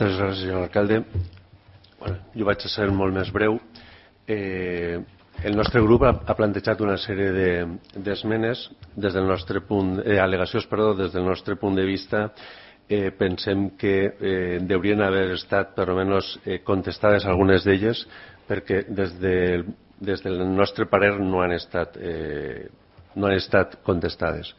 Gràcies, senyor alcalde. Jo vaig a ser molt més breu. El nostre grup ha plantejat una sèrie d'esmenes des del nostre punt, al·legacions, des del nostre punt de vista. Pensem que haurien haver estat per almenys contestades algunes d'elles, perquè des del nostre parer no han estat contestades.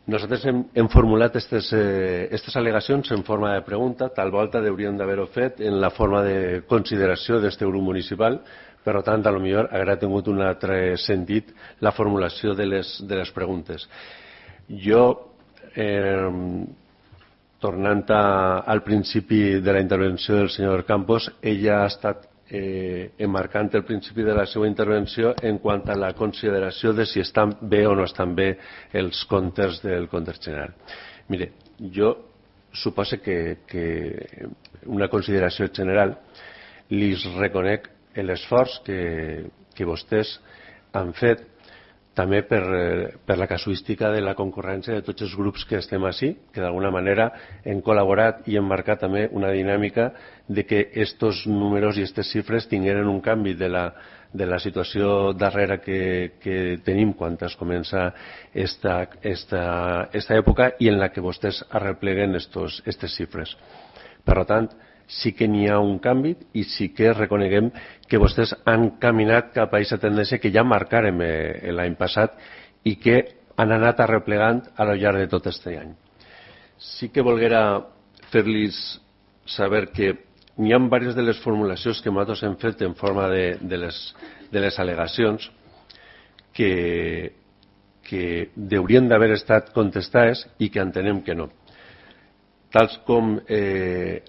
Nosaltres hem formulat aquestes al·legacions en forma de pregunta. Tal volta hauríem d'haver-ho fet en la forma de consideració d'aquest grup municipal. Per tant, potser hauria tingut un altre sentit la formulació de les preguntes. Jo, tornant al principi de la intervenció del senyor Campos, ella ha estat emmarcant el principi de la seva intervenció en quant a la consideració de si estan bé o no estan bé els comptes del compte general. Mire, jo suposo que una consideració general li reconec l'esforç que vostès han fet també per la casuística de la concurrència de tots els grups que estem ací, que d'alguna manera hem col·laborat i hem marcat també una dinàmica de que aquests números i aquestes xifres tingueren un canvi de la situació darrera que tenim quan es comença esta època i en la que vostès arrepleguen aquestes xifres. Per tant, sí que n'hi ha un canvi i sí que reconeguem que vostès han caminat cap a aquesta tendència que ja marcàrem l'any passat i que han anat arreplegant al llarg de tot aquest any. Sí que volguera fer-los saber que n'hi ha diverses de les formulacions que nosaltres hem fet en forma de les al·legacions que haurien d'haver estat contestades i que entenem que no, tals com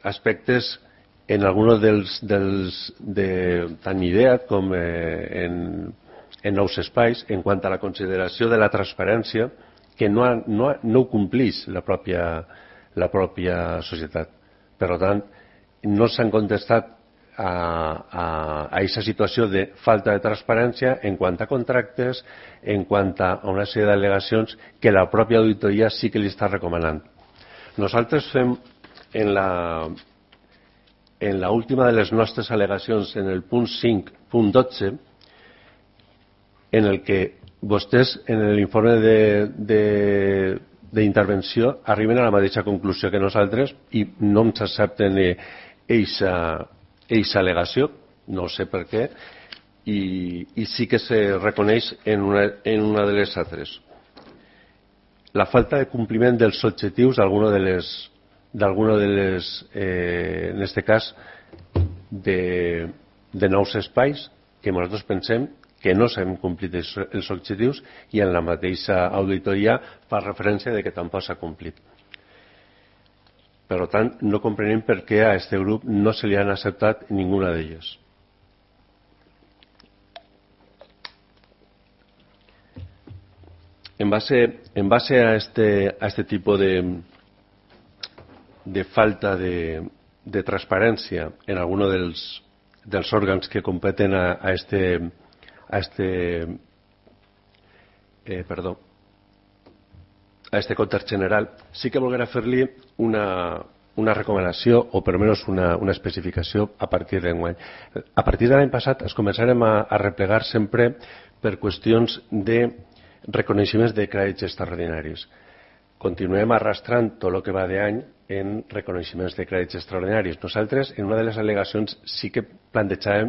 aspectes en alguns tant IDEA com en nous espais en quant a la consideració de la transparència que no ho compleix la pròpia societat. Per tant, no s'han contestat a aquesta situació de falta de transparència en quant a contractes, en quant a una sèrie d'al·legacions que la pròpia auditoria sí que li està recomanant. Nosaltres fem en l'última de les nostres al·legacions, en el punt 5.12, en el que vostès, en l'informe d'intervenció, arriben a la mateixa conclusió que nosaltres i no ens accepten aquesta al·legació, no sé per què, i sí que se reconeix en una de les altres. La falta de compliment dels objectius d'alguna de les en aquest cas de nous espais que nosaltres pensem que no s'han complit els objectius i en la mateixa auditoria fa referència de que tampoc s'ha complit. Per tant, no comprenem per què a aquest grup no se li han acceptat ninguna d'elles. En base a este tipo de falta de transparència en alguno dels òrgans que competen a este compte general, sí que volguera fer-li una recomanació o per almenys una especificació a partir d'enguany. A partir de l'any passat es començarem a replegar sempre per qüestions de reconeixements de crèdits extraordinaris. Continuem arrastrant tot el que va d'any en reconeixements de crèdits extraordinaris. Nosaltres, en una de les al·legacions, sí que plantejàvem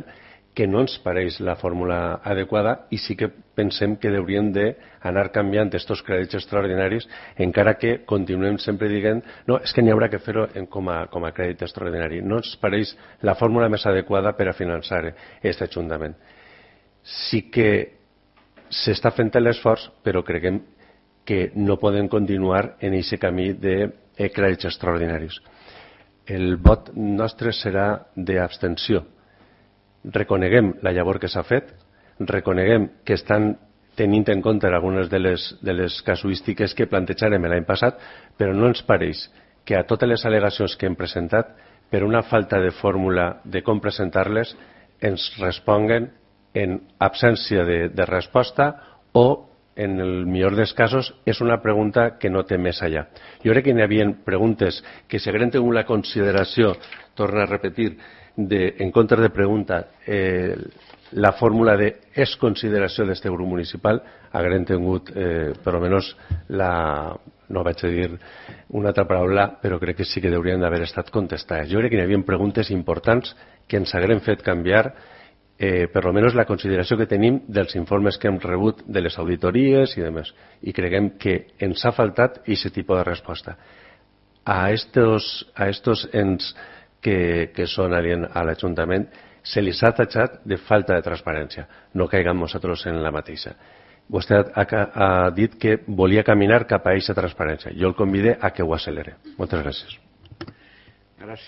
que no ens pareix la fórmula adequada i sí que pensem que hauríem d'anar canviant aquests crèdits extraordinaris, encara que continuem sempre dient no, és que n'hi haurà que fer-ho com a crèdit extraordinari. No ens pareix la fórmula més adequada per a finançar aquest ajuntament. Sí que s'està fent l'esforç, però creiem que no podem continuar en aquest camí de crèdits extraordinaris. El vot nostre serà d'abstenció. Reconeguem la llavor que s'ha fet, reconeguem que estan tenint en compte algunes de les casuístiques que plantejarem l'any passat, però no ens pareix que a totes les al·legacions que hem presentat, per una falta de fórmula de com presentar-les, ens responguen en absència de resposta o en el millor dels casos, és una pregunta que no té més allà. Jo crec que hi havia preguntes que si hagueren tingut la consideració, torno a repetir, en comptes de pregunta, la fórmula de és consideració d'este grup municipal, hagueren tingut, per almenys, no vaig a dir una altra paraula, però crec que sí que haurien d'haver estat contestades. Jo crec que hi havia preguntes importants que ens hagueren fet canviar per almenys la consideració que tenim dels informes que hem rebut de les auditories i demés. I creguem que ens ha faltat aquest tipus de resposta. A estos ens que són aliens a l'Ajuntament se li ha tatxat de falta de transparència. No caiguem nosaltres en la mateixa. Vostè ha dit que volia caminar cap a aquesta transparència. Jo el convide a que ho accelere. Moltes gràcies. Gràcies.